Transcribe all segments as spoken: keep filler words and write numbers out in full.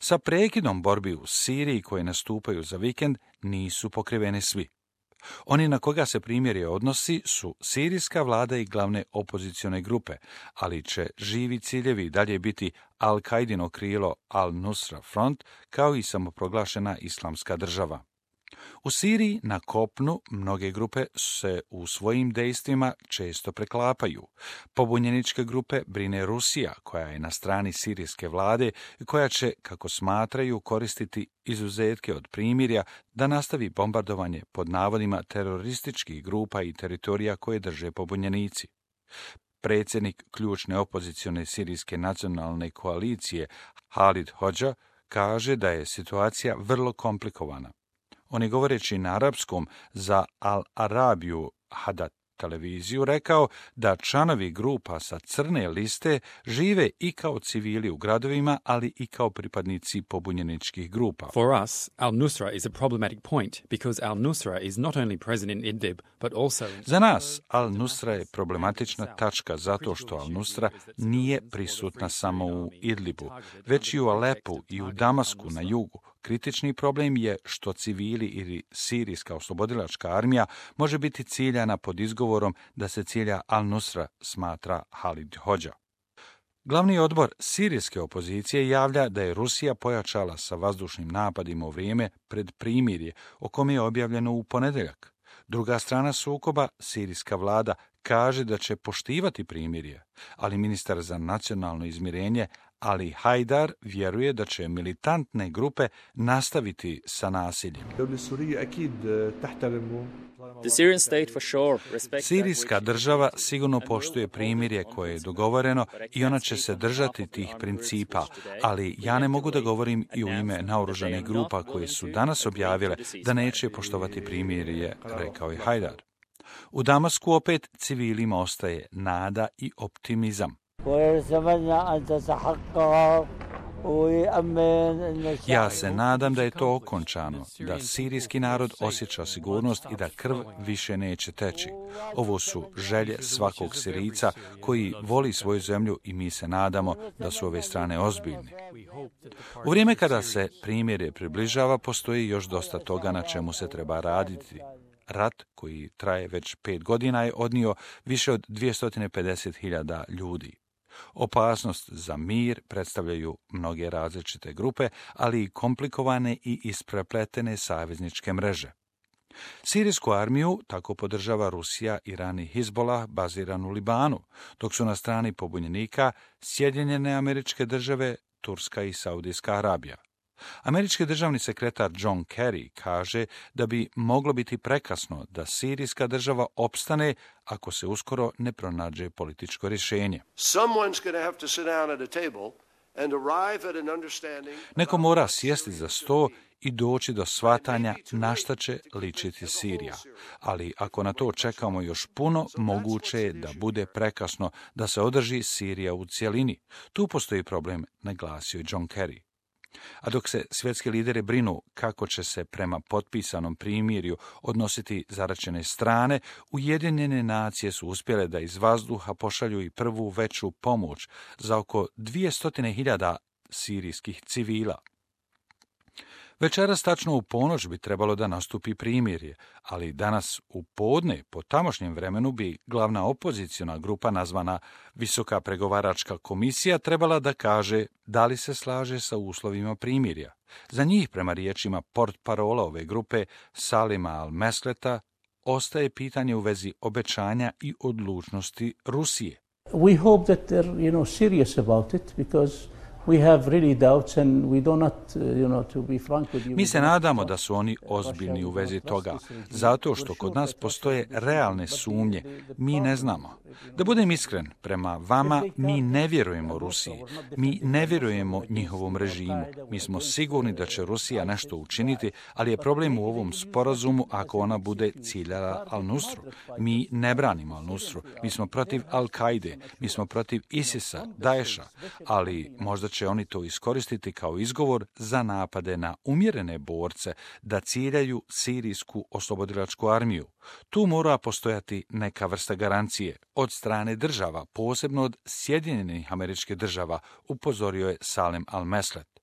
Sa prekidom borbi u Siriji koje nastupaju za vikend nisu pokriveni svi. Oni na koga se primirje odnosi su sirijska vlada i glavne opozicione grupe, ali će živi ciljevi dalje biti Al-Kaidino krilo Al-Nusra Front, kao i samoproglašena islamska država. U Siriji na kopnu mnoge grupe se u svojim dejstvima često preklapaju. Pobunjeničke grupe brine Rusija, koja je na strani sirijske vlade i koja će, kako smatraju, koristiti izuzetke od primirja da nastavi bombardovanje pod navodima terorističkih grupa i teritorija koje drže pobunjenici. Predsjednik ključne opozicione sirijske nacionalne koalicije Halid Hodža kaže da je situacija vrlo komplikovana. On je govoreći na arapskom za Al Arabiju Hadat televiziju rekao da članovi grupa sa crne liste žive i kao civili u gradovima, ali i kao pripadnici pobunjeničkih grupa. For us, Al-Nusra is a problematic point because Al-Nusra is not only present in Idlib, but also... Za nas, Al-Nusra je problematična tačka zato što Al-Nusra nije prisutna samo u Idlibu, već i u Alepu i u Damasku na jugu. Kritični problem je što civili ili sirijska oslobodilačka armija može biti ciljana pod izgovorom da se cilja Al-Nusra, smatra Halid Hodža. Glavni odbor sirijske opozicije javlja da je Rusija pojačala sa vazdušnim napadima u vrijeme pred primirje, o kome je objavljeno u ponedjeljak. Druga strana sukoba, sirijska vlada, kaže da će poštivati primirje, ali ministar za nacionalno izmirenje Ali Hajdar vjeruje da će militantne grupe nastaviti sa nasiljem. Sirijska država sigurno poštuje primirje koje je dogovoreno i ona će se držati tih principa, ali ja ne mogu da govorim i u ime naoružanih grupa koje su danas objavile da neće poštovati primirje, rekao je Hajdar. U Damasku opet civilima ostaje nada i optimizam. Ja se nadam da je to okončano, da sirijski narod osjeća sigurnost i da krv više neće teći. Ovo su želje svakog Sirijca koji voli svoju zemlju i mi se nadamo da su ove strane ozbiljne. U vrijeme kada se primirje približava, postoji još dosta toga na čemu se treba raditi. Rat, koji traje već pet godina, je odnio više od dvjesto pedeset hiljada ljudi. Opasnost za mir predstavljaju mnoge različite grupe, ali i komplikovane i isprepletene savezničke mreže. Sirijsku armiju tako podržava Rusija, Iran i Hizbolah baziran u Libanu, dok su na strani pobunjenika Sjedinjene Američke Države, Turska i Saudijska Arabija. Američki državni sekretar John Kerry kaže da bi moglo biti prekasno da sirijska država opstane ako se uskoro ne pronađe političko rješenje. Neko mora sjesti za sto i doći do shvatanja na šta će ličiti Sirija. Ali ako na to čekamo još puno, moguće je da bude prekasno da se održi Sirija u cjelini. Tu postoji problem, naglasio je John Kerry. A dok se svjetski lideri brinu kako će se prema potpisanom primirju odnositi zaraćene strane, Ujedinjene nacije su uspjele da iz vazduha pošalju i prvu veću pomoć za oko dvjesto hiljada sirijskih civila. Večeras tačno u ponoć bi trebalo da nastupi primirje, ali danas u podne po tamošnjem vremenu bi glavna opoziciona grupa nazvana Visoka pregovaračka komisija trebala da kaže da li se slaže sa uslovima primirja. Za njih, prema riječima portparola ove grupe Salima al-Mesleta, ostaje pitanje u vezi obećanja i odlučnosti Rusije. We hope that they're, you know, serious about it because we have really doubts and we do not, you know, to be frank with you. Mi se nadamo da su oni ozbiljni u vezi toga, zato što kod nas postoje realne sumnje. Mi ne znamo. Da budem iskren, prema vama mi ne vjerujemo Rusiji. Mi ne vjerujemo njihovom režimu. Mi smo sigurni da će Rusija nešto učiniti, ali je problem u ovom sporazumu ako ona bude ciljala Al-Nusru. Mi ne branimo Al-Nusru. Mi smo protiv Al-Kaide. Mi smo protiv Isisa, Daesha, ali možda će oni to iskoristiti kao izgovor za napade na umjerene borce da ciljaju sirijsku oslobodilačku armiju. Tu mora postojati neka vrsta garancije od strane država, posebno od Sjedinjenih Američkih Država, upozorio je Salem al-Meslet.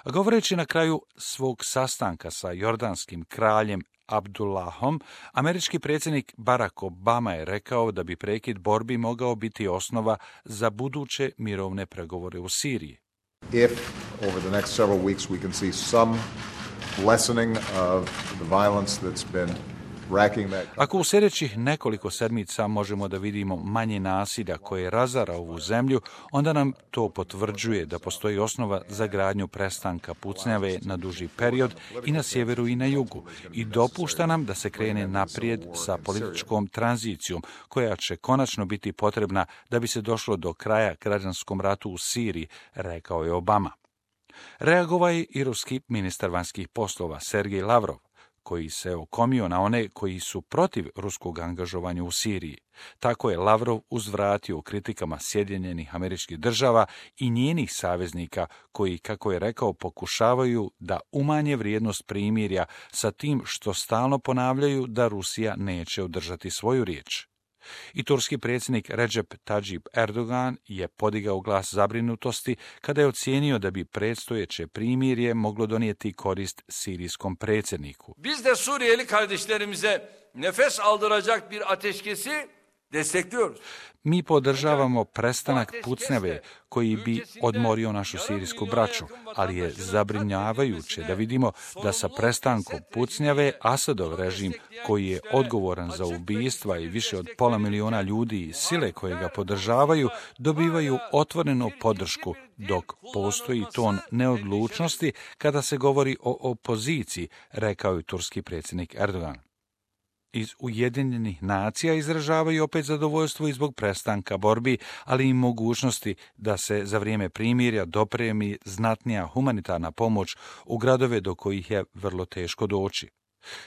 A govoreći na kraju svog sastanka sa jordanskim kraljem Abdullahom, američki predsjednik Barack Obama je rekao da bi prekid borbi mogao biti osnova za buduće mirovne pregovore u Siriji. If over the next several weeks we can see some lessening of the violence that's been racking that. Ako u sljedećih nekoliko sedmica možemo da vidimo manje nasilja koje razara ovu zemlju, onda nam to potvrđuje da postoji osnova za gradnju prestanka pucnjave na duži period i na sjeveru i na jugu i dopušta nam da se krene naprijed sa političkom tranzicijom koja će konačno biti potrebna da bi se došlo do kraja građanskom ratu u Siriji, rekao je Obama. Reagovao je i ruski ministar vanjskih poslova Sergej Lavrov, koji se okomio na one koji su protiv ruskog angažovanja u Siriji. Tako je Lavrov uzvratio kritikama Sjedinjenih Američkih Država i njenih saveznika koji, kako je rekao, pokušavaju da umanje vrijednost primirja sa tim što stalno ponavljaju da Rusija neće održati svoju riječ. I turski predsjednik Recep Tayyip Erdogan je podigao glas zabrinutosti kada je ocijenio da bi predstojeće primirje moglo donijeti korist sirijskom predsjedniku. Biz de Suriyeli kardeşlerimize nefes aldıracak bir ateşkesi destekliyoruz. Mi podržavamo prestanak pucnjave koji bi odmorio našu sirijsku braću, ali je zabrinjavajuće da vidimo da sa prestankom pucnjave Asadov režim, koji je odgovoran za ubistva i više od pola miliona ljudi i sile koje ga podržavaju, dobivaju otvorenu podršku, dok postoji ton neodlučnosti kada se govori o opoziciji, rekao je turski predsjednik Erdogan. Iz Ujedinjenih nacija izražavaju opet zadovoljstvo i zbog prestanka borbi, ali i mogućnosti da se za vrijeme primirja dopremi znatnija humanitarna pomoć u gradove do kojih je vrlo teško doći.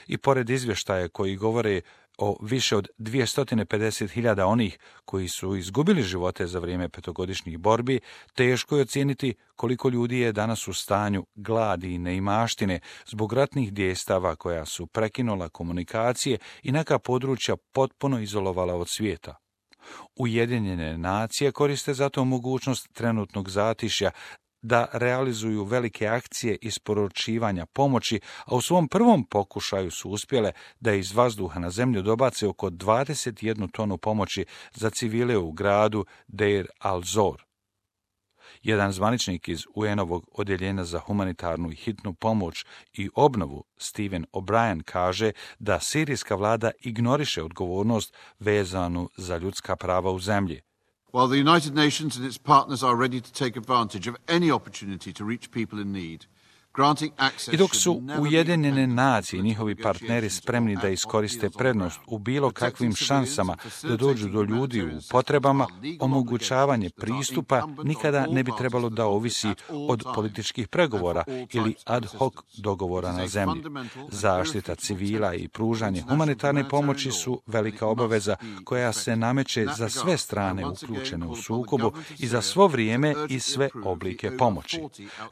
I pored izvještaja koji govore o više od dvjesto pedeset hiljada onih koji su izgubili živote za vrijeme petogodišnjih borbi, teško je ocijeniti koliko ljudi je danas u stanju gladi i neimaštine zbog ratnih djestava koja su prekinula komunikacije i neka područja potpuno izolovala od svijeta. Ujedinjene nacije koriste zato mogućnost trenutnog zatišja da realizuju velike akcije isporučivanja pomoći, a u svom prvom pokušaju su uspjele da iz vazduha na zemlju dobace oko dvadeset jednu tonu pomoći za civile u gradu Deir al-Zor. Jedan zvaničnik iz U N-ovog odjeljenja za humanitarnu i hitnu pomoć i obnovu, Stephen O'Brien, kaže da sirijska vlada ignoriše odgovornost vezanu za ljudska prava u zemlji. While the United Nations and its partners are ready to take advantage of any opportunity to reach people in need, I dok su Ujedinjene nacije i njihovi partneri spremni da iskoriste prednost u bilo kakvim šansama da dođu do ljudi u potrebama, omogućavanje pristupa nikada ne bi trebalo da ovisi od političkih pregovora ili ad hoc dogovora na zemlji. Zaštita civila i pružanje humanitarne pomoći su velika obaveza koja se nameće za sve strane uključene u sukobu i za svo vrijeme i sve oblike pomoći.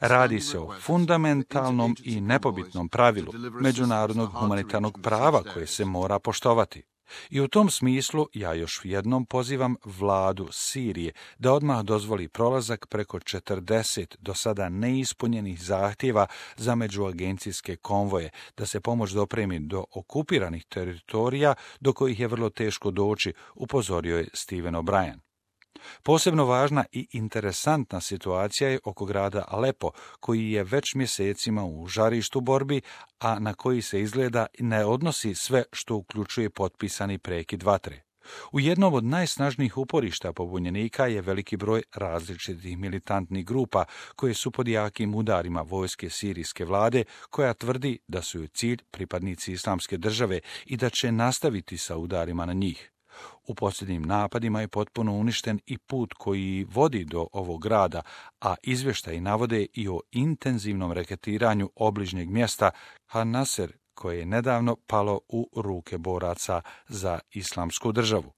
Radi se o fundamentalnom mentalnom i nepobitnom pravilu međunarodnog humanitarnog prava koje se mora poštovati. I u tom smislu ja još jednom pozivam vladu Sirije da odmah dozvoli prolazak preko četrdeset do sada neispunjenih zahtjeva za međuagencijske konvoje, da se pomoć dopremi do okupiranih teritorija do kojih je vrlo teško doći, upozorio je Stephen O'Brien. Posebno važna i interesantna situacija je oko grada Alepo, koji je već mjesecima u žarištu borbi, a na koji se izgleda ne odnosi sve što uključuje potpisani prekid vatre. U jednom od najsnažnijih uporišta pobunjenika je veliki broj različitih militantnih grupa koje su pod jakim udarima vojske sirijske vlade, koja tvrdi da su joj cilj pripadnici Islamske države i da će nastaviti sa udarima na njih. U posljednjim napadima je potpuno uništen i put koji vodi do ovog grada, a izvještaji navode i o intenzivnom reketiranju obližnjeg mjesta Han Nasser, koje je nedavno palo u ruke boraca za Islamsku državu.